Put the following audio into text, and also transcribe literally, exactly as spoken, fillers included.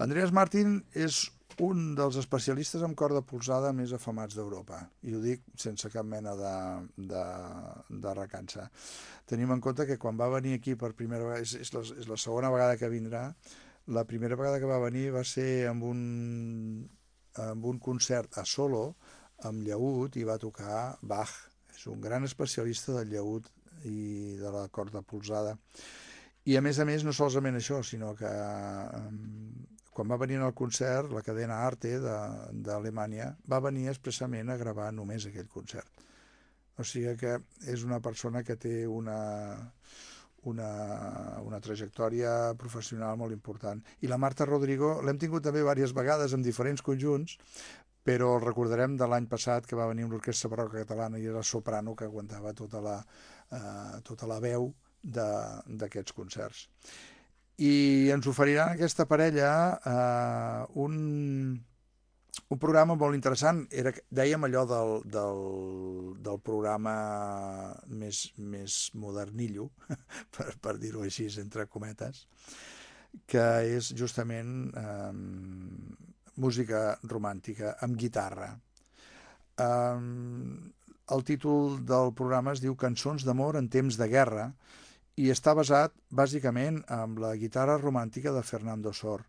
Andreas Martin és un dels especialistes en corda polzada més afamats d'Europa, i ho dic sense cap mena de, de, de recança. Tenim en compte que quan va venir aquí per primera vegada, és, és, la, és la segona vegada que vindrà. La primera vegada que va venir va ser amb un, amb un concert a solo, amb llaüt, i va tocar Bach. És un gran especialista del llaüt i de la corda polzada. I a més a més, no solament això, sinó que eh, quan va venir al concert, la cadena Arte d'Alemanya va venir expressament a gravar només aquell concert. O sigui que és una persona que té una, una, una trajectòria professional molt important. I la Marta Rodrigo l'hem tingut també diverses vegades en diferents conjunts, però el recordarem de l'any passat, que va venir amb l'Orquestra Barroca Catalana i era soprano, que aguantava tota la, eh, tota la veu d'aquests concerts. I ens oferiran aquesta parella eh, un, un programa molt interessant. Era, dèiem allò del, del, del programa més, més modernillo, per, per dir-ho així, entre cometes, que és justament eh, música romàntica amb guitarra. Eh, el títol del programa es diu Cançons d'amor en temps de guerra, i està basat bàsicament en la guitarra romàntica de Fernando Sor.